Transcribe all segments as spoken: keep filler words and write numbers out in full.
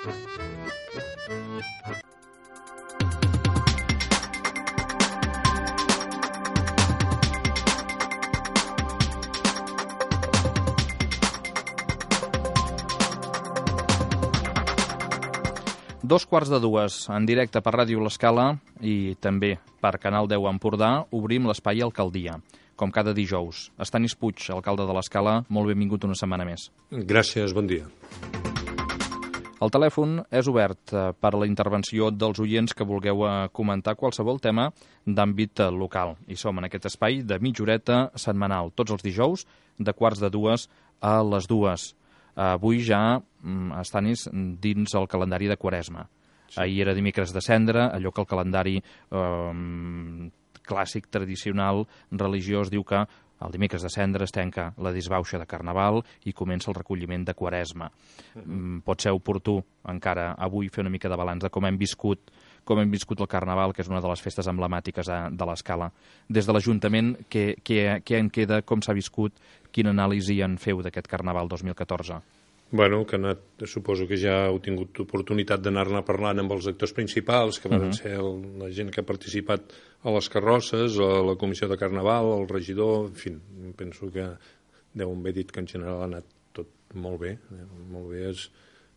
Dos quarts de dues, en directe per Ràdio L'Escala i també per Canal deu Empordà, obrim l'espai Alcaldia, com cada dijous. Estanis Puig, alcalde de l'Escala, molt benvingut una setmana més. Gràcies, bon dia. El telèfon és obert per a la intervenció dels oients que vulgueu comentar qualsevol tema d'àmbit local. I som en aquest espai de mitja horeta setmanal, tots els dijous, de quarts de dues a les dues. Avui ja Estanis dins el calendari de Quaresma. Sí. Ahir era dimecres de Cendra, allò que el calendari eh, clàssic, tradicional, religiós, diu que el dimecres de Cendra es tanca la disbauxa de Carnaval i comença el recolliment de Quaresma. Uh-huh. Pot ser oportú encara avui fer una mica de balanç de com hem viscut com hem viscut el Carnaval, que és una de les festes emblemàtiques de l'Escala. Des de l'Ajuntament, què, què, què en queda, com s'ha viscut, quina anàlisi en feu d'aquest Carnaval dos mil catorze? Bueno, que anat, suposo que ja heu tingut oportunitat d'anar-ne parlant amb els actors principals, que van uh-huh. ser el, la gent que ha participat a les carrosses, a la comissió de Carnaval, el regidor, en fi, penso que deu haver dit que en general ha anat tot molt bé, eh? molt bé, és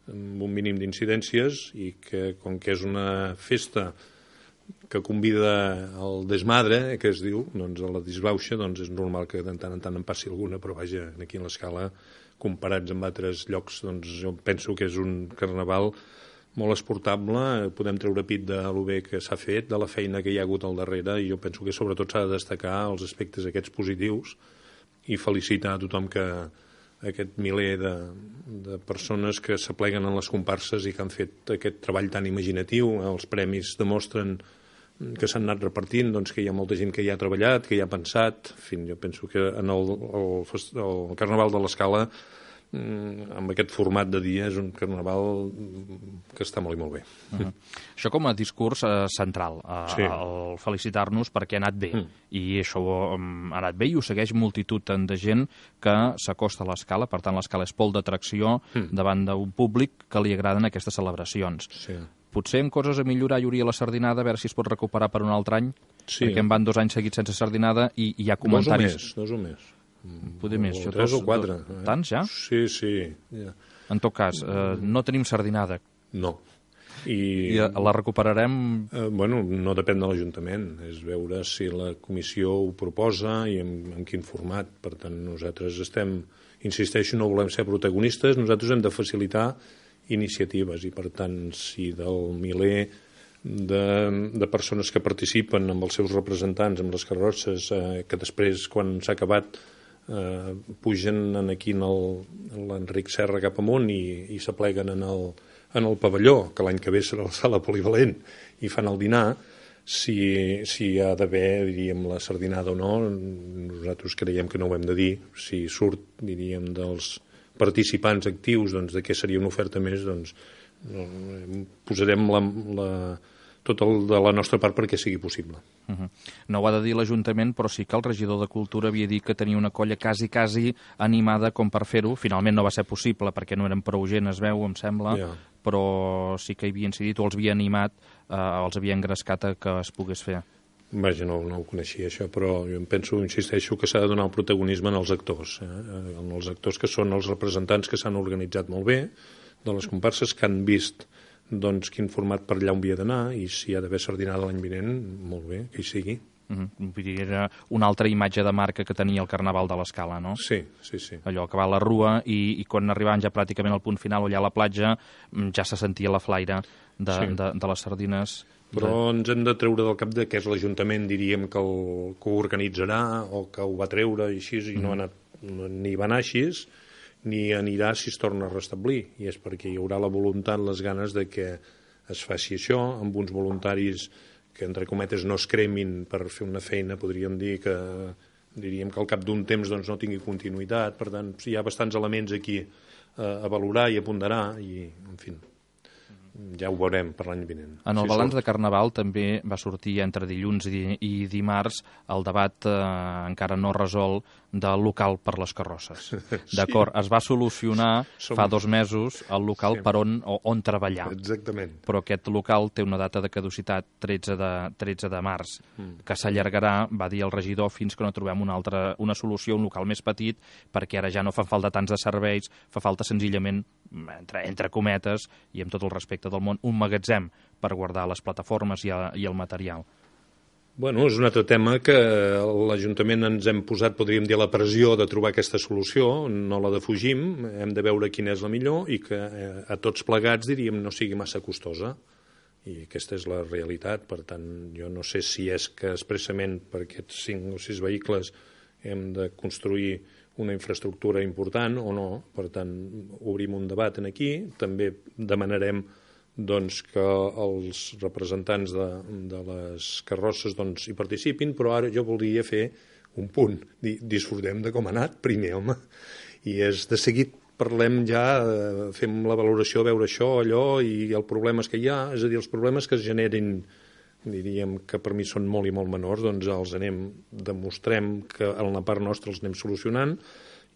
amb un mínim d'incidències i que, com que és una festa que convida al desmadre, que es diu, doncs a la disbauxa, doncs és normal que de tant en tant en passi alguna, però vaja, aquí a l'Escala, comparats amb altres llocs, doncs jo penso que és un carnaval molt esportable, podem treure pit de lo bé que s'ha fet, de la feina que hi ha hagut al darrere, i jo penso que sobretot s'ha de destacar els aspectes aquests positius i felicitar a tothom que aquest miler de, de persones que s'apleguen en les comparses i que han fet aquest treball tan imaginatiu. Els premis demostren que s'han anat repartint, doncs que hi ha molta gent que hi ha treballat, que hi ha pensat. En fi, jo penso que en el, el, el Carnaval de l'Escala, amb aquest format de dia, és un carnaval que està molt i molt bé. Uh-huh. Això com a discurs eh, central, eh, sí. el felicitar-nos perquè ha anat bé, mm. i això um, ha anat bé i ho segueix multitud de gent que s'acosta a l'Escala, per tant l'Escala és pol d'atracció mm. davant d'un públic que li agraden aquestes celebracions. Sí. Potser en coses a millorar hi hauria la sardinada, a veure si es pot recuperar per un altre any, sí. perquè en van dos anys seguits sense sardinada i hi ha comentaris... Dos o més, dos o més. Poder més, o tres o quatre. Eh? Tants, ja? Sí, sí. Ja. En tot cas, eh, no tenim sardinada. No. I, I la recuperarem? Eh, bueno, no depèn de l'Ajuntament. És veure si la comissió ho proposa i en, en quin format. Per tant, nosaltres estem, insisteixo, no volem ser protagonistes, nosaltres hem de facilitar iniciatives i, per tant, si del miler de, de persones que participen amb els seus representants, amb les carrosses, eh, que després, quan s'ha acabat, eh, pugen aquí en l'Enric Serra cap amunt i, i s'apleguen en el, en el pavelló, que l'any que ve serà la sala polivalent, i fan el dinar. Si, si hi ha d'haver, diríem, la sardinada o no, nosaltres creiem que no ho hem de dir. Si surt, diríem, dels participants actius, doncs, de què seria una oferta més, doncs posarem la, la, tot el de la nostra part perquè sigui possible. Uh-huh. No ho ha de dir l'Ajuntament, però sí que el regidor de Cultura havia dit que tenia una colla quasi, quasi animada com per fer-ho. Finalment no va ser possible perquè no eren prou gent, es veu, em sembla, yeah. però sí que hi havia incidit o els havia animat, eh, els havia engrescat a que es pogués fer. Vaja, no, no ho coneixia això, però jo em penso, insisteixo, que s'ha de donar el protagonisme als actors, eh? En els actors que són els representants que s'han organitzat molt bé, de les comparses, que han vist doncs, quin format per allà on havia d'anar, i si hi ha d'haver sardinada l'any vinent, molt bé, que hi sigui. Uh-huh. Vull dir, era una altra imatge de marca que tenia el Carnaval de l'Escala, no? Sí, sí, sí. Allò que va a la rua i, i quan arribaven ja pràcticament al punt final o allà a la platja, ja se sentia la flaire de, sí. de, de les sardines. Però ens hem de treure del cap de que és l'Ajuntament, diríem, que, el, que ho organitzarà o que ho va treure i així, i no ha anat, no, ni va anar així, ni anirà si es torna a restablir. I és perquè hi haurà la voluntat, les ganes de que es faci això, amb uns voluntaris que, entre cometes, no es cremin per fer una feina, podríem dir que, diríem que al cap d'un temps doncs, no tingui continuïtat. Per tant, hi ha bastants elements aquí a, a valorar i a ponderar, i, en fi, ja ho veurem per l'any vinent. En el si balanç sort. de Carnaval també va sortir entre dilluns i, i dimarts el debat eh, encara no resolt del local per les carrosses. D'acord, sí. Es va solucionar Som... fa dos mesos el local sí. per on, on treballar. Exactament. Però aquest local té una data de caducitat tretze de març, mm. que s'allargarà, va dir el regidor, fins que no trobem una, altra, una solució, un local més petit, perquè ara ja no fan falta tants de serveis, fa falta senzillament, entre, entre cometes, i amb tot el respecte del món, un magatzem per guardar les plataformes i, a, i el material. Bueno, és un altre tema que l'Ajuntament ens hem posat, podríem dir, la pressió de trobar aquesta solució, no la defugim, hem de veure quina és la millor i que a tots plegats, diríem, no sigui massa costosa. I aquesta és la realitat, per tant, jo no sé si és que expressament per aquests cinc o sis vehicles hem de construir una infraestructura important o no, per tant, obrim un debat en aquí, també demanarem doncs, que els representants de, de les carrosses doncs, hi participin, però ara jo voldria fer un punt, dir, disfrutem de com ha anat primer, home, i és de seguit parlem ja, eh, fem la valoració, veure això, allò, i els problemes que hi ha, és a dir, els problemes que es generin, diríem que per mi són molt i molt menors, doncs els anem, demostrem que en la part nostra els anem solucionant,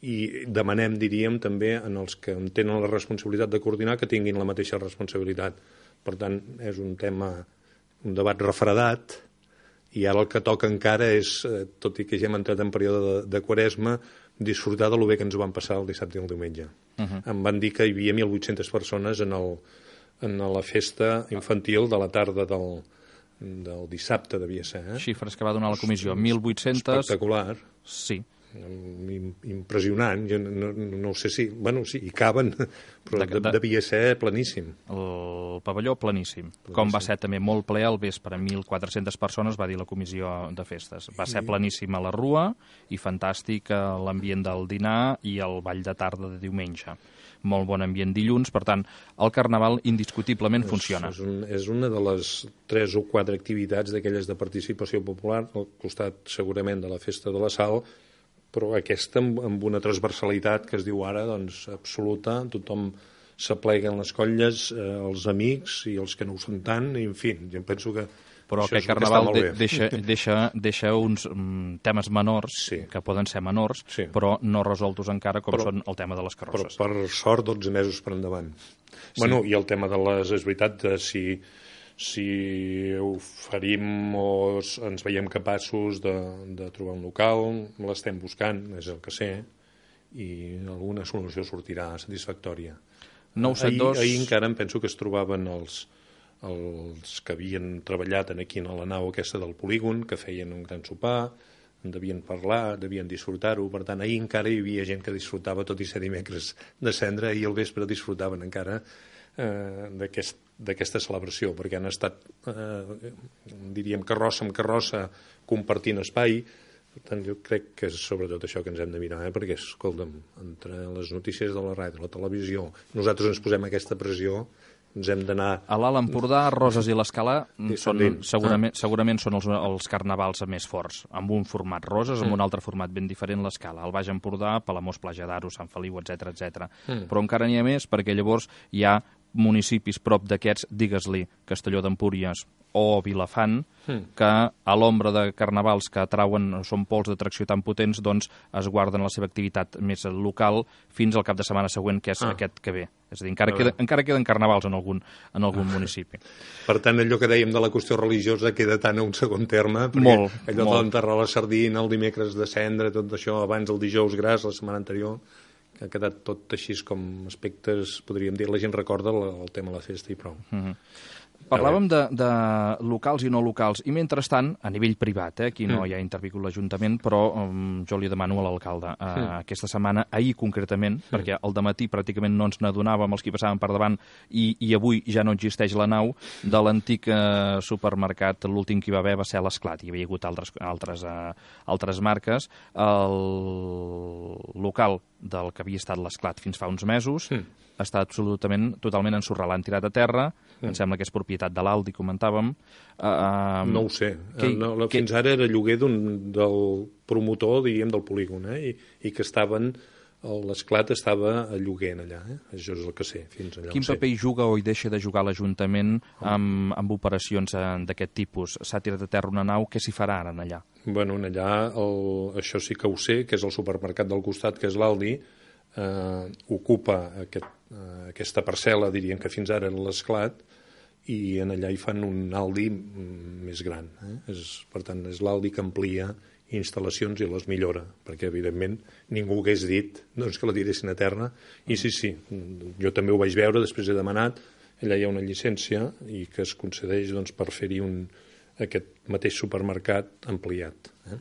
i demanem, diríem, també en els que tenen la responsabilitat de coordinar que tinguin la mateixa responsabilitat. Per tant, és un tema, un debat refredat, i ara el que toca encara és, tot i que ja hem entrat en període de, de Quaresma, disfrutar de lo bé que ens ho van passar el dissabte i el diumenge. Uh -huh. Em van dir que hi havia mil vuit-centes persones en, el, en la festa infantil de la tarda del, del dissabte, devia ser. Eh? Xifres que va donar la comissió, mil vuit-centes... Espectacular. Sí. Impressionant, jo no, no sé si... Bueno, sí, hi caben, però de, de, devia ser planíssim. El pavelló planíssim. planíssim. Com va ser també molt ple al vespre, mil quatre-centes persones, va dir la comissió de festes. Va ser planíssim a la Rua i fantàstic l'ambient del dinar i el ball de tarda de diumenge. Molt bon ambient dilluns, per tant, el Carnaval indiscutiblement funciona. És, un, és una de les tres o quatre activitats d'aquelles de participació popular, al costat segurament de la Festa de la Sal, però aquesta amb, amb una transversalitat que es diu ara, doncs, absoluta, tothom s'apleguen les colles, eh, els amics i els que no ho són tant, i en fi, jo penso que però aquest Carnaval de, deixa, deixa, deixa uns um, temes menors, sí. que poden ser menors, sí. però no resoltos encara, com però, són el tema de les carrosses. Però per sort, dotze mesos per endavant. Sí. Bueno, i el tema de les... És veritat, de si, si ho farim o ens veiem capaços de, de trobar un local, l'estem buscant, és el que sé, i alguna solució sortirà satisfactòria. nou set dos... Ahir, ahir encara em penso que es trobaven els... els que havien treballat aquí a la nau aquesta del polígon, que feien un gran sopar, en devien parlar, devien disfrutar-ho, per tant, ahir encara hi havia gent que disfrutava, tot i ser dimecres de cendra, i al vespre disfrutaven encara eh, d'aquesta aquest, celebració, perquè han estat, eh, diríem, carrossa amb carrossa, compartint espai. Per tant, jo crec que és sobretot això que ens hem de mirar, eh? Perquè, escolta'm, entre les notícies de la ràdio, la televisió, nosaltres ens posem aquesta pressió, ens hem d'anar... A l'Alt Empordà, Roses i l'Escala són, segurament, segurament són els, els carnavals més forts, amb un format Roses, amb mm. un altre format ben diferent l'Escala. Al Baix Empordà, Palamós, Platja d'Aro, Sant Feliu, etcètera, etcètera. Mm. Però encara n'hi ha més, perquè llavors hi ha municipis prop d'aquests, digues-li, Castelló d'Empúries o Vilafant, mm. que a l'ombra de carnavals que atrauen, són pols d'atracció tan potents, doncs es guarden la seva activitat més local fins al cap de setmana següent, que és ah. aquest que ve. És a dir, encara, queda, encara queden carnavals en algun, en algun ah. municipi. Per tant, allò que dèiem de la qüestió religiosa queda tant a un segon terme, perquè molt, allò molt. d'enterrar la sardina, el dimecres de cendre, tot això, abans el dijous gras, la setmana anterior, que ha quedat tot així com aspectes, podríem dir, la gent recorda el, el tema de la festa i prou. Mm-hmm. Parlàvem de, de locals i no locals, i mentrestant, a nivell privat, eh, aquí no mm. hi ha intervingut l'Ajuntament, però um, jo li demano a l'alcalde uh, mm. aquesta setmana, ahir concretament, mm. perquè al dematí pràcticament no ens n'adonàvem els qui passaven per davant, i, i avui ja no existeix la nau, de l'antic uh, supermercat, l'últim que hi va haver va ser l'Esclat, hi havia hagut altres, altres, uh, altres marques, el local del que havia estat l'Esclat fins fa uns mesos, mm. està absolutament, totalment ensorrat, l'han tirat a terra, mm. em sembla que és propietat de l'Aldi, comentàvem. Uh, no ho sé, que, no, la, fins que... ara era lloguer d'un, del promotor, diríem, del polígon, eh? I, i que estaven l'esclat estava a lloguer allà, eh? Això és el que sé, fins allà. Quin paper hi juga o hi deixa de jugar l'Ajuntament amb, amb operacions d'aquest tipus? S'ha tirat a terra una nau, què s'hi farà ara allà? Bueno, allà, el, això sí que ho sé, que és el supermercat del costat, que és l'Aldi, eh, ocupa aquest, eh, aquesta parcel·la, diríem que fins ara era l'esclat, i en allà hi fan un Aldi més gran. Eh? És, per tant, és l'Aldi que amplia instal·lacions i les millora, perquè evidentment ningú hagués dit doncs, que la tiressin a terra, i sí, sí, jo també ho vaig veure, després he demanat, allà hi ha una llicència i que es concedeix doncs, per fer-hi un, aquest mateix supermercat ampliat. Eh?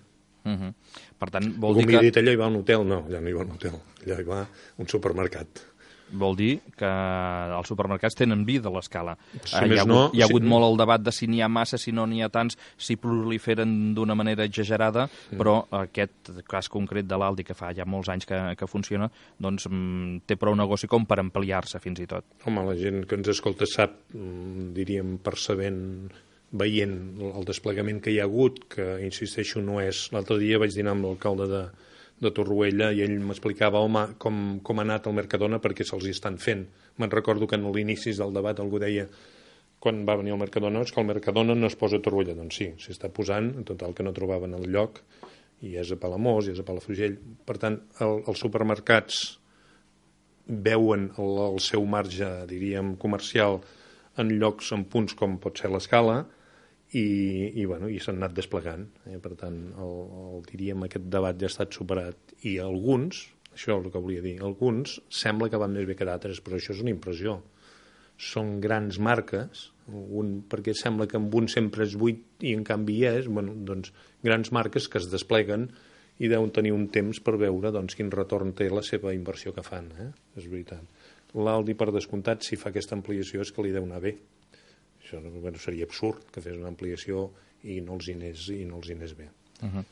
Uh -huh. Per tant, vol Algú dir m'ha que... dit, allà hi va un hotel? No, allà no hi va un hotel, allà hi va un supermercat. Vol dir que els supermercats tenen vida a l'escala. Si hi, més ha hagut, no, hi ha hagut sí. molt el debat de si n'hi ha massa, si no n'hi ha tants, si proliferen d'una manera exagerada, mm. però aquest cas concret de l'Aldi, que fa ja molts anys que, que funciona, doncs mm, té prou negoci com per ampliar-se fins i tot. Home, la gent que ens escolta sap, diríem, percebent, veient el desplegament que hi ha hagut, que, insisteixo, no és... L'altre dia vaig dinar amb l'alcalde de de Torroella i ell m'explicava home, com, com ha anat el Mercadona perquè se'ls hi estan fent. Me'n recordo que en l'inici del debat algú deia quan va venir el Mercadona és que el Mercadona no es posa a Torroella. Doncs sí, s'hi està posant, en total que no trobaven el lloc, i és a Palamós, i és a Palafrugell. Per tant, el, els supermercats veuen el, el seu marge, diríem, comercial en llocs, en punts com pot ser l'Escala, i, i, bueno, i s'han anat desplegant. Eh? Per tant, el, el, diríem, aquest debat ja ha estat superat. I alguns, això és el que volia dir, alguns sembla que van més bé que d'altres, però això és una impressió. Són grans marques, un, perquè sembla que amb un sempre és buit i en canvi hi és, bueno, doncs, grans marques que es despleguen i deuen tenir un temps per veure doncs, quin retorn té la seva inversió que fan. Eh? És veritat. L'Aldi, per descomptat, si fa aquesta ampliació és que li deu anar bé. Això bueno, seria absurd que fes una ampliació i no els hi anés, i no els hi anés bé. Uh -huh.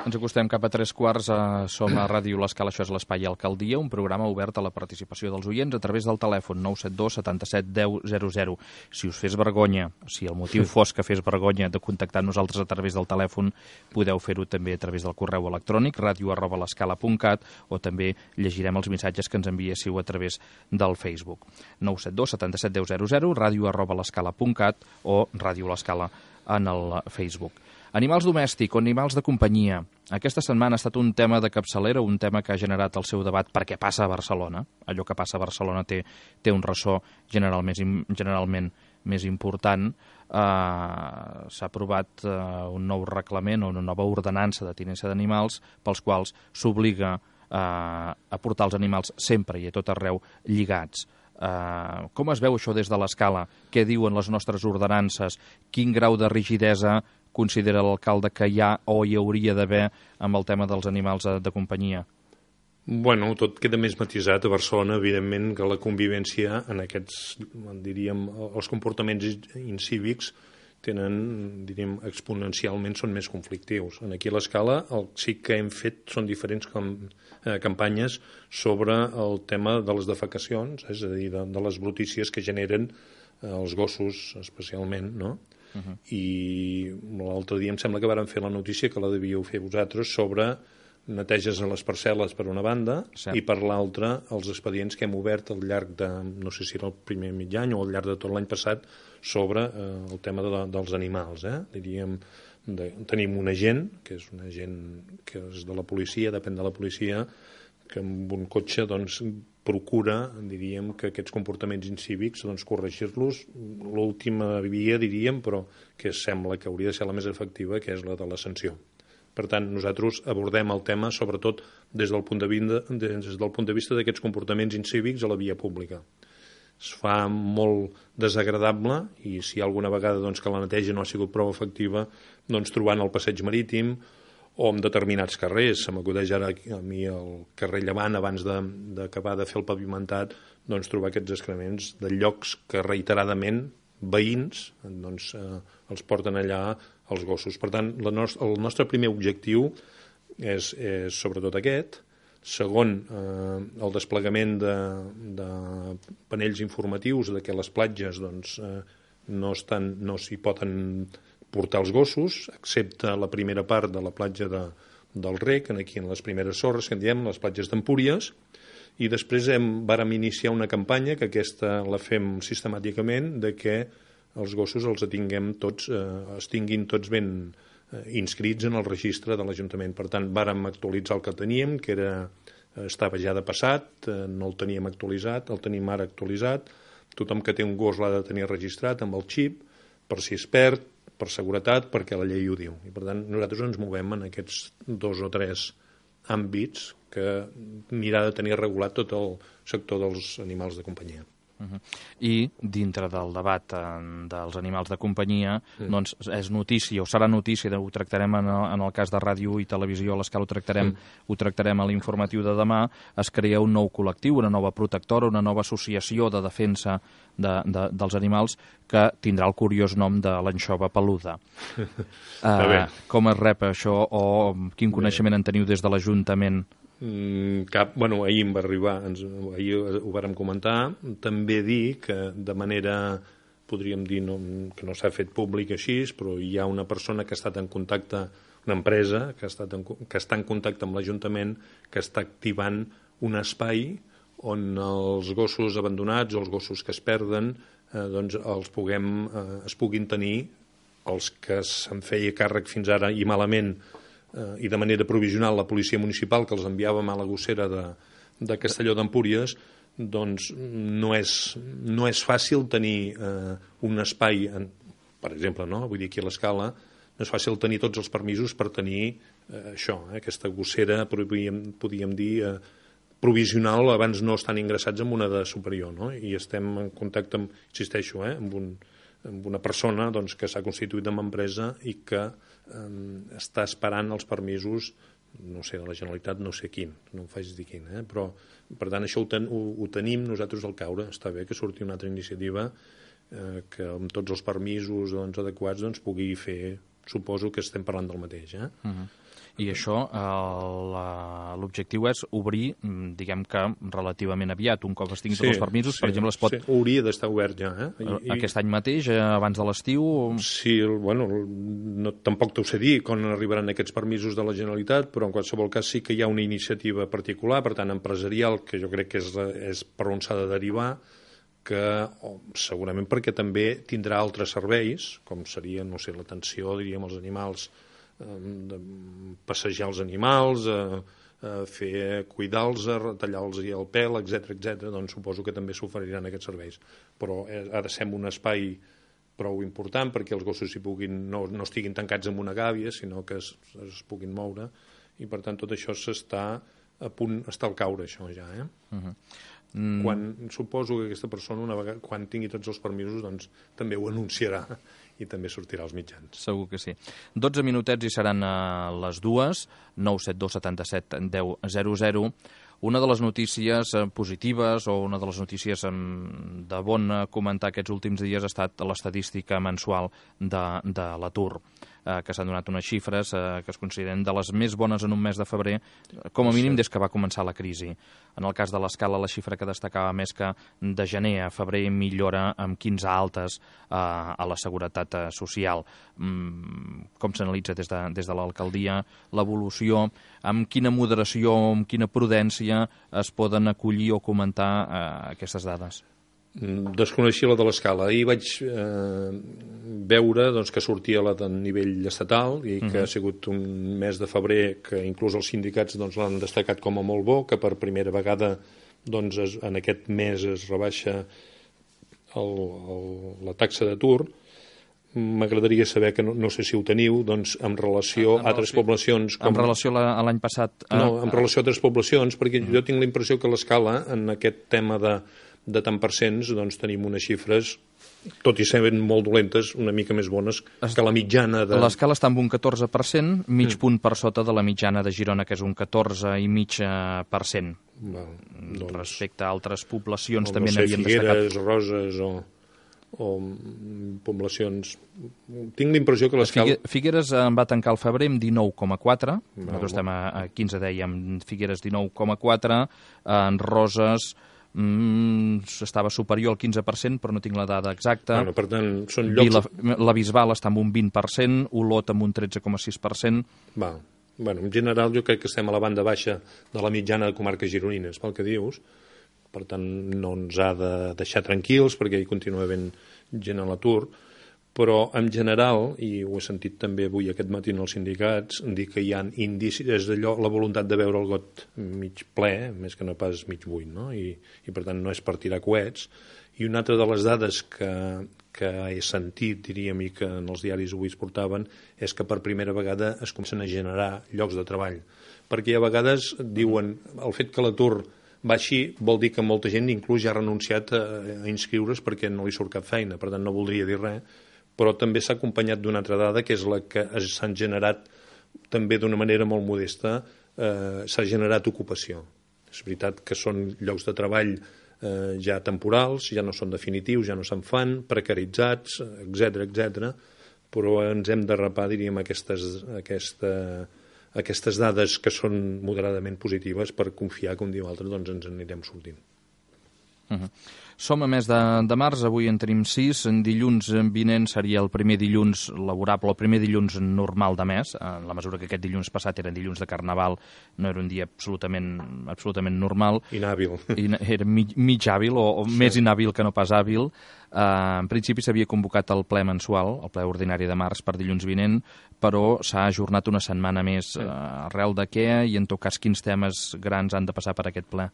Ens acostem cap a tres quarts, a som a Ràdio L'Escala, això és l'Espai Alcaldia, un programa obert a la participació dels oients a través del telèfon nou set dos setanta-set deu zero zero. Si us fes vergonya, si el motiu fos que fes vergonya de contactar amb nosaltres a través del telèfon, podeu fer-ho també a través del correu electrònic ràdio arroba l'escala punt cat o també llegirem els missatges que ens enviéssiu a través del Facebook. nou set dos setanta-set deu zero zero, ràdio arroba l'escala punt cat o Ràdio L'Escala en el Facebook. Animals domèstics o animals de companyia. Aquesta setmana ha estat un tema de capçalera, un tema que ha generat el seu debat perquè passa a Barcelona. Allò que passa a Barcelona té, té un ressò general més, generalment més important. Uh, s'ha aprovat uh, un nou reglament o una nova ordenança de tinença d'animals pels quals s'obliga uh, a portar els animals sempre i a tot arreu lligats. Uh, com es veu això des de l'Escala? Què diuen les nostres ordenances? Quin grau de rigidesa considera l'alcalde que hi ha o hi hauria d'haver amb el tema dels animals de, de companyia? Bueno, tot queda més matisat a Barcelona, evidentment, que la convivència en aquests, diríem, els comportaments incívics tenen, diríem, exponencialment són més conflictius. Aquí a l'Escala el sí que hem fet són diferents com, eh, campanyes sobre el tema de les defecacions, és a dir, de, de les brutícies que generen eh, els gossos especialment, no? Uh -huh. I l'altre dia em sembla que vàrem fer la notícia que la devíeu fer vosaltres sobre neteges a les parcel·les per una banda sí. I per l'altra els expedients que hem obert al llarg de, no sé si era el primer mig any o al llarg de tot l'any passat sobre eh, el tema de, dels animals. Eh? Diríem, de, tenim un agent, que és un agent que és de la policia, depèn de la policia, que amb un cotxe doncs, procura, diríem, que aquests comportaments incívics doncs, corregir-los. L'última via, diríem, però que sembla que hauria de ser la més efectiva, que és la de la sanció. Per tant, nosaltres abordem el tema sobretot des del punt de vista, des del punt de vista d'aquests comportaments incívics a la via pública. Es fa molt desagradable i si alguna vegada doncs, que la neteja no ha sigut prou efectiva, doncs trobant el passeig marítim o en determinats carrers, se m'acudeix ara a mi el carrer Llevant abans d'acabar de, de fer el pavimentat, doncs trobar aquests excrements de llocs que reiteradament veïns doncs, eh, els porten allà els gossos. Per tant, la nost el nostre primer objectiu és, és sobretot aquest. Segon, eh, el desplegament de, de panells informatius de que les platges doncs, eh, no estan, no s'hi poden portar els gossos, excepte la primera part de la platja de, del rec, aquí en les primeres sorres, que en diem, les platges d'Empúries, i després hem, vàrem iniciar una campanya, que aquesta la fem sistemàticament, de que els gossos els tinguem tots, eh, es tinguin tots ben eh, inscrits en el registre de l'Ajuntament. Per tant, vàrem actualitzar el que teníem, que era, estava ja de passat, eh, no el teníem actualitzat, el tenim ara actualitzat. Tothom que té un gos l'ha de tenir registrat amb el xip, per si es perd, per seguretat, perquè la llei ho diu. I per tant, nosaltres ens movem en aquests dos o tres àmbits que anirà de tenir regulat tot el sector dels animals de companyia. Uh-huh. I dintre del debat eh, dels animals de companyia, mm. doncs és notícia, o serà notícia, ho tractarem en el, en el cas de ràdio i televisió, a l'escala ho tractarem, mm. ho tractarem a l'informatiu de demà, es crea un nou col·lectiu, una nova protectora, una nova associació de defensa de, de, dels animals que tindrà el curiós nom de l'anxova peluda. uh, com es rep això, o quin coneixement en teniu des de l'Ajuntament? Cap, bueno, ahir em va arribar, ens, ahir ho vàrem comentar, també dir que de manera, podríem dir, no, que no s'ha fet públic així, però hi ha una persona que ha estat en contacte, una empresa que, ha estat en, que està en contacte amb l'Ajuntament, que està activant un espai on els gossos abandonats o els gossos que es perden eh, doncs els puguem, eh, es puguin tenir, els que se'n feia càrrec fins ara i malament Uh, i de manera provisional la policia municipal, que els enviàvem a la gossera de, de Castelló d'Empúries, doncs no és, no és fàcil tenir uh, un espai, en, per exemple, no? Vull dir, aquí a l'Escala, no és fàcil tenir tots els permisos per tenir uh, això, eh? Aquesta gossera, podríem, podríem dir, uh, provisional, abans no estan ingressats en una de superior, no? I estem en contacte, amb, insisteixo, eh? amb, un, amb una persona doncs, que s'ha constituït amb empresa i que està esperant els permisos, no sé, de la Generalitat, no sé quin, no em faig dir quin, eh? Però per tant això ho, ten, ho, ho tenim nosaltres al caure. Està bé que surti una altra iniciativa eh, que amb tots els permisos doncs, adequats doncs, pugui fer, suposo que estem parlant del mateix, eh? Uh-huh. I això, l'objectiu és obrir, diguem que relativament aviat, un cop es tinguin sí, tots els permisos, sí, per exemple, es pot... Sí, hauria d'estar obert ja, eh? I, aquest any mateix, abans de l'estiu? Sí, bueno, no, tampoc t'ho sé dir quan arribaran aquests permisos de la Generalitat, però en qualsevol cas sí que hi ha una iniciativa particular, per tant, empresarial, que jo crec que és, és per on s'ha de derivar, que oh, segurament perquè també tindrà altres serveis, com seria, no sé, l'atenció, diríem, als animals, de passejar els animals, a, a fer cuidar-los, a tallar-los el pèl, etcètera, etcètera. Doncs suposo que també s'oferiran aquests serveis. Però ha de ser un espai prou important perquè els gossos hi puguin, no, no estiguin tancats en una gàbia, sinó que es, es puguin moure, i per tant tot això s'està a punt, està al caure, això ja, eh? Uh-huh. Mm. Quan, suposo que aquesta persona, una vegada, quan tingui tots els permisos, doncs també ho anunciarà i també sortirà als mitjans. Segur que sí. dotze minutets i seran a les dues, nou set dos setanta set deu zero zero. Una de les notícies positives o una de les notícies de bon comentar aquests últims dies ha estat l'estadística mensual de, de l'atur, eh, que s'han donat unes xifres eh, que es consideren de les més bones en un mes de febrer, com a mínim des que va començar la crisi. En el cas de l'Escala, la xifra que destacava més que de gener a febrer millora amb quinze altes eh, a la seguretat social. Mm, com s'analitza des de, des de l'alcaldia l'evolució, amb quina moderació, amb quina prudència es poden acollir o comentar eh, aquestes dades? Desconeixia la de l'Escala. Ahir vaig eh, veure doncs, que sortia la de nivell estatal i que uh-huh. ha sigut un mes de febrer que inclús els sindicats doncs, l'han destacat com a molt bo, que per primera vegada doncs, es, en aquest mes es rebaixa el, el, la taxa d'atur. M'agradaria saber, que no, no sé si ho teniu, doncs, en relació a altres poblacions... Com... En relació a l'any passat... A... No, en relació a altres poblacions, perquè uh-huh. jo tinc la impressió que l'Escala, en aquest tema de, de tant per cents, doncs tenim unes xifres, tot i ser molt dolentes, una mica més bones es... que la mitjana de... L'Escala està amb un catorze per cent, mig mm. punt per sota de la mitjana de Girona, que és un catorze i mig per cent. Val, doncs... Respecte a altres poblacions també no sé, n'havien Figueres, destacat... Roses o... o poblacions... Tinc la impressió que l'Escala... Figueres en va tancar el febrer amb dinou coma quatre, nosaltres estem a quinze, dèiem, Figueres dinou coma quatre, en Roses mm, estava superior al quinze per cent, però no tinc la dada exacta. Bueno, per tant, són llocs... La, la Bisbal està amb un vint per cent, Olot amb un tretze coma sis per cent. Va. Bueno, en general jo crec que estem a la banda baixa de la mitjana de comarques gironines, pel que dius. Per tant, no ens ha de deixar tranquils perquè hi continua havent gent a l'atur. Però, en general, i ho he sentit també avui aquest matí en els sindicats, dir que hi ha indicis, és allò, la voluntat de veure el got mig ple, més que no pas mig buit, no? I, i per tant no és per tirar coets. I una altra de les dades que, que he sentit, diríem, i que en els diaris avui es portaven, és que per primera vegada es comencen a generar llocs de treball. Perquè a vegades diuen el fet que l'atur baixi vol dir que molta gent inclús ja ha renunciat a, a inscriure's perquè no li surt cap feina, per tant no voldria dir res, però també s'ha acompanyat d'una altra dada, que és la que s'han generat també d'una manera molt modesta, eh, s'ha generat ocupació. És veritat que són llocs de treball eh, ja temporals, ja no són definitius, ja no se'n fan, precaritzats, etcètera, etcètera, però ens hem de rapar, diríem, aquestes, aquesta, aquestes dades que són moderadament positives per confiar que un dia o altre doncs, ens anirem sortint. Uh-huh. Som a mes de, de març, avui en tenim sis, en dilluns vinent seria el primer dilluns laborable, el primer dilluns normal de mes, en la mesura que aquest dilluns passat era dilluns de Carnaval, no era un dia absolutament, absolutament normal. Inhàbil. I era mig, mig hàbil, o, o sí. Més inhàbil que no pas hàbil. Uh, en principi s'havia convocat el ple mensual, el ple ordinari de març per dilluns vinent, però s'ha ajornat una setmana més. Sí. Uh, arrel de què i en tot cas quins temes grans han de passar per aquest ple?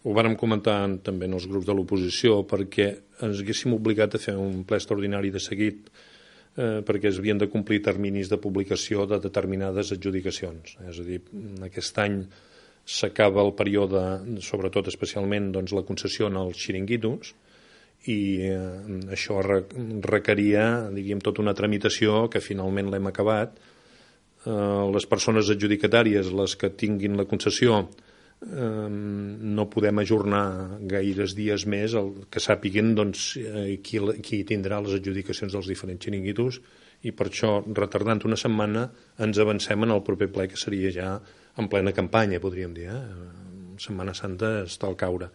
Ho vàrem comentar també en els grups de l'oposició perquè ens haguéssim obligat a fer un ple extraordinari de seguit eh, perquè es havien de complir terminis de publicació de determinades adjudicacions. És a dir, aquest any s'acaba el període, sobretot especialment doncs, la concessió en els xiringuitos, i eh, això re requeria, diríem, tota una tramitació que finalment l'hem acabat. Eh, les persones adjudicatàries, les que tinguin la concessió, no podem ajornar gaires dies més el que sàpiguen doncs, qui, qui tindrà les adjudicacions dels diferents xiringuitos, i per això, retardant una setmana, ens avancem en el proper ple, que seria ja en plena campanya, podríem dir. Eh? Setmana Santa està al caure.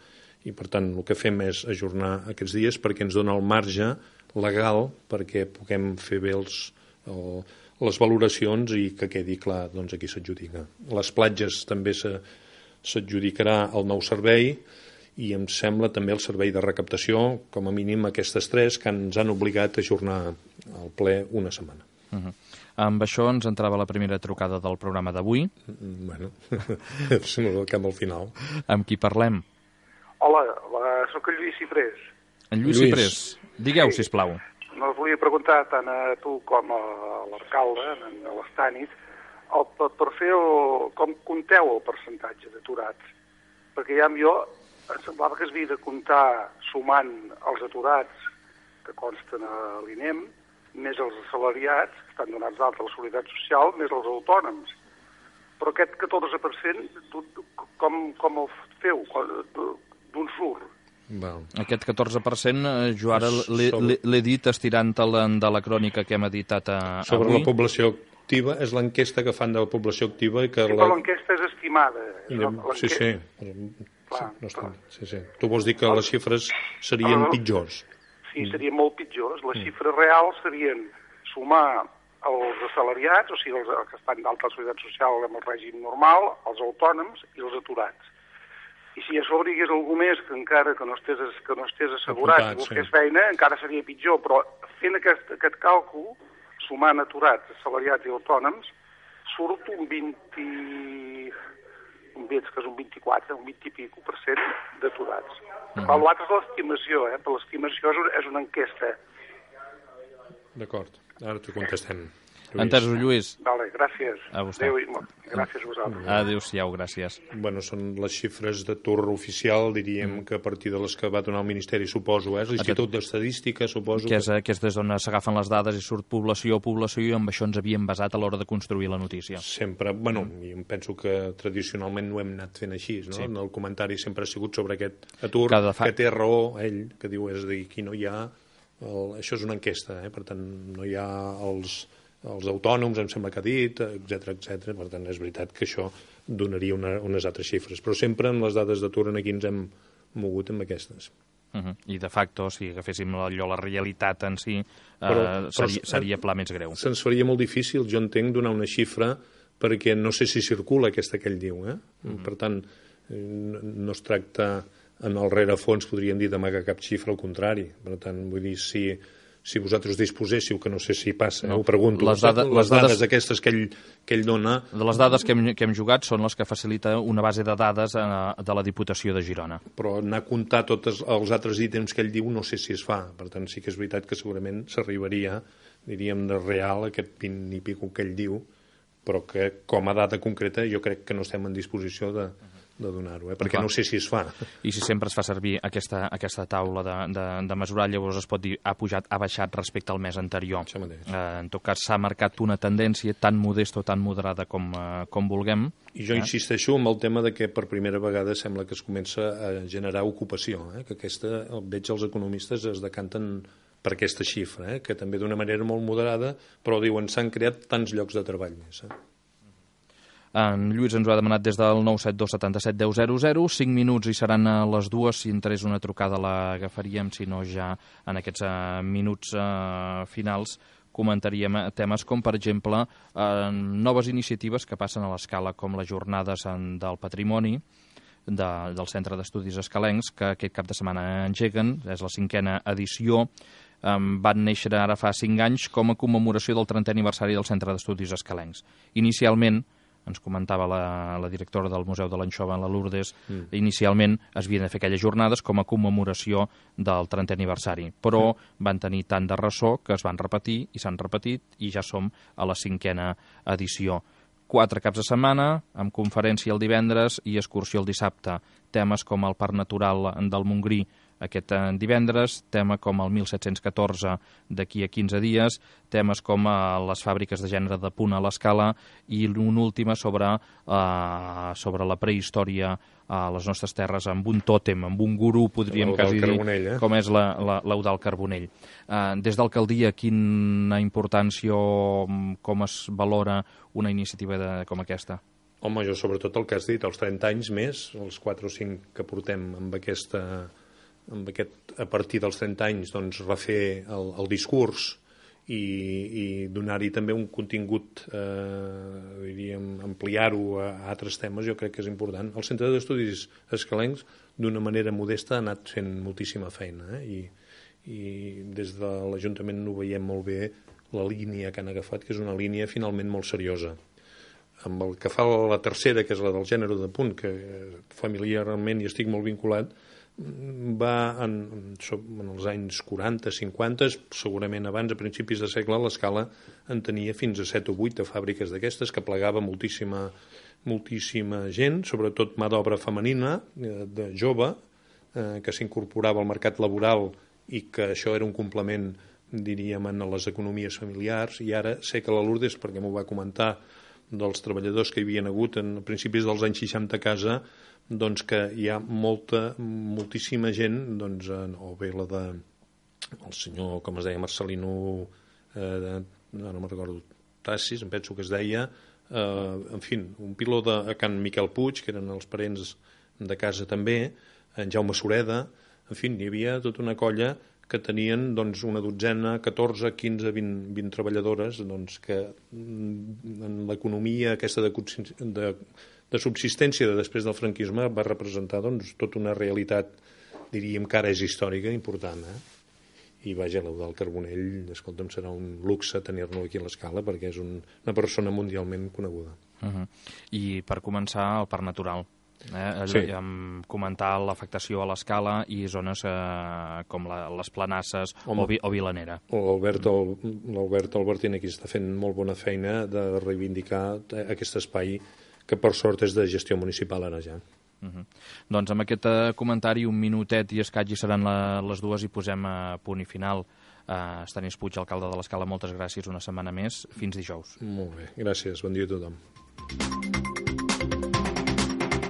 I per tant el que fem és ajornar aquests dies perquè ens dona el marge legal perquè puguem fer bé els, el, les valoracions i que quedi clar doncs, a qui s'adjudica. Les platges també se s'adjudicarà el nou servei i em sembla també el servei de recaptació, com a mínim aquestes tres que ens han obligat a ajornar el ple una setmana. Uh-huh. Amb això ens entrava la primera trucada del programa d'avui. Bueno, cap al final. Amb qui parlem? Hola, la, soc el Lluís Ciprés. En Lluís, Lluís. Ciprés. Digueu, sí. Sisplau. No us volia preguntar tant a tu com a l'alcalde, a l'Estànit, El, per fer el, com compteu el percentatge d'aturats, perquè ja jo em semblava que es havia de comptar sumant els aturats que consten a l'INEM, més els assalariats, que estan donats d'alta a la Seguretat Social, més els autònoms. Però aquest catorze per cent, com, com el feu? D'on surt? Well. Aquest catorze per cent, jo ara l'he dit estirant-te de la crònica que hem editat a, sobre avui. La població activa, és l'enquesta que fan de la població activa. I que sí, la... però l'enquesta és estimada. Sí, sí. Clar, sí, no està... sí, sí. Tu vols dir que les xifres serien ah, pitjors? Sí, serien molt pitjors. Les mm. xifres reals serien sumar els assalariats, o sigui, els, els que estan d'alta seguretat social amb el règim normal, els autònoms i els aturats. I si a sobre hi hagués algú més que encara que no estés, que no estés assegurat i busqués sí. feina, encara seria pitjor, però fent aquest, aquest càlcul, sumant aturats, assalariats i autònoms, surt un vint... un veig que és un vint-i-quatre, un vint i pico per cent d'aturats. Mm -hmm. L'altre és l'estimació, eh? Per l'estimació és una enquesta. D'acord, ara t'ho contestem. Entesos, Lluís. Vale, gràcies. A vostè. Adéu, gràcies a vosaltres. Adéu-siau, gràcies. Bueno, són les xifres d'atur oficial, diríem mm. que a partir de les que va donar el Ministeri, suposo, eh? L'Institut d'Estadística, suposo. Que és, que... que és des d'on s'agafen les dades i surt població, població, i amb això ens havíem basat a l'hora de construir la notícia. Sempre, bueno, mm. em penso que tradicionalment ho hem anat fent així, no? Sí. El comentari sempre ha sigut sobre aquest atur, que, fa... que té raó ell, que diu, és a dir, aquí no hi ha... El... Això és una enquesta, eh? Per tant, no hi ha els... els autònoms, em sembla que ha dit, etcètera, etcètera. Per tant, és veritat que això donaria una, unes altres xifres. Però sempre amb les dades d'atur aquí ens hem mogut amb aquestes. Uh -huh. I de facto, si agaféssim allò, la realitat en si, eh, però, seria, però seria pla més greu. Se'ns faria molt difícil, jo entenc, donar una xifra perquè no sé si circula aquesta que ell diu. Eh? Mm-hmm. Per tant, no es tracta en el rerefons, podríem dir, d'amagar cap xifra, al contrari. Per tant, vull dir, si, si vosaltres disposéssiu, que no sé si passa, no. eh? Ho pregunto, les, dada, les, les dades, dades aquestes que ell, que ell dona... De les dades que hem, que hem jugat són les que facilita una base de dades eh, de la Diputació de Girona. Però anar a comptar tots els altres ítems que ell diu no sé si es fa. Per tant, sí que és veritat que segurament s'arribaria, diríem, de real, aquest vint i pico que ell diu, però que com a data concreta jo crec que no estem en disposició de, de donar-ho, eh? perquè Clar. no sé si es fa. I si sempre es fa servir aquesta, aquesta taula de, de, de mesurar, llavors es pot dir ha pujat, ha baixat respecte al mes anterior. Eh, en tot cas, s'ha marcat una tendència tan modesta o tan moderada com, eh, com vulguem. I jo eh? insisteixo en el tema de que per primera vegada sembla que es comença a generar ocupació, eh? que aquesta, veig els economistes es decanten per aquesta xifra, eh? que també d'una manera molt moderada, però diuen s'han creat tants llocs de treball més. Eh? En Lluís ens ho ha demanat des del nou set dos setanta set deu zero zero, cinc minuts i seran a les dues, si entrés una trucada l'agafaríem, si no ja en aquests uh, minuts uh, finals comentaríem temes com, per exemple, uh, noves iniciatives que passen a l'escala, com les jornades en, del patrimoni, de, del Centre d'Estudis Escalencs, que aquest cap de setmana engeguen, és la cinquena edició. Um, van néixer ara fa cinc anys com a commemoració del trentè aniversari del Centre d'Estudis Escalencs. Inicialment, ens comentava la, la directora del Museu de l'Anxova, la Lourdes, mm. inicialment es havien de fer aquelles jornades com a commemoració del trentè aniversari, però mm. van tenir tant de ressò que es van repetir i s'han repetit i ja som a la cinquena edició. Quatre caps de setmana, amb conferència el divendres i excursió el dissabte. Temes com el Parc Natural del Montgrí aquest divendres, tema com el mil set-cents catorze d'aquí a quinze dies, temes com les fàbriques de gènere de Punt a l'Escala i una última sobre, uh, sobre la prehistòria a les nostres terres amb un tòtem, amb un gurú, podríem quasi dir, eh? com és l'Eudald Carbonell. Uh, des d'alcaldia, quina importància o com es valora una iniciativa de, com aquesta? Home, jo sobretot el que has dit, els trenta anys més, els quatre o cinc que portem amb aquesta... amb aquest, a partir dels trenta anys, doncs, refer el, el discurs i, i donar-hi també un contingut, eh, diríem, ampliar-ho a, a altres temes, jo crec que és important. El Centre d'Estudis Escalencs, d'una manera modesta, ha anat fent moltíssima feina, eh? I, i des de l'Ajuntament ho veiem molt bé, la línia que han agafat, que és una línia finalment molt seriosa. Amb el que fa la tercera, que és la del gènere de Punt, que familiarment hi estic molt vinculat, va en, en els anys quaranta, cinquanta, segurament abans, a principis de segle, l'Escala en tenia fins a set o vuit de fàbriques d'aquestes, que plegava moltíssima, moltíssima gent, sobretot mà d'obra femenina, de jove, eh, que s'incorporava al mercat laboral i que això era un complement, diríem, en les economies familiars, i ara sé que la Lourdes, perquè m'ho va comentar, dels treballadors que hi havia hagut en principis dels anys seixanta a casa, doncs que hi ha molta, moltíssima gent, doncs, o bé la de el senyor, com es deia, Marcelino, eh, no, no me'n recordo, Tassis, em penso que es deia, eh, en fi, un piló de Can Miquel Puig, que eren els parents de casa també, en Jaume Sureda, en fi, hi havia tota una colla que tenien doncs, una dotzena, catorze, quinze, vint, vint treballadores, doncs, que en l'economia aquesta de, de, de subsistència de després del franquisme va representar doncs, tota una realitat, diríem que ara és històrica, important. Eh? I vaja, l'Eudald Carbonell, escolta'm, serà un luxe tenir-lo aquí a l'Escala perquè és un, una persona mundialment coneguda. Uh-huh. I per començar, el Parc Natural. Eh, sí. Comentar l'afectació a l'Escala i zones eh, com la, les Planasses o, vi, o Vilanera. L'Albert Albertín aquí està fent molt bona feina de reivindicar aquest espai que per sort és de gestió municipal ara ja. Uh-huh. Doncs amb aquest uh, comentari, un minutet i escaig i seran la, les dues i posem a uh, punt i final. Uh, Estanis Puig, alcalde de l'Escala, moltes gràcies una setmana més. Fins dijous. Molt bé, gràcies. Bon dia a tothom.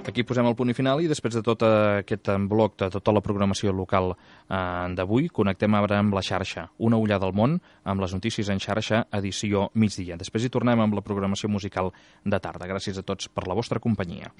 Aquí posem el punt i final i després de tot aquest bloc, de tota la programació local eh, d'avui, connectem ara amb la xarxa. Una ullada al món amb les notícies en xarxa, edició migdia. Després hi tornem amb la programació musical de tarda. Gràcies a tots per la vostra companyia.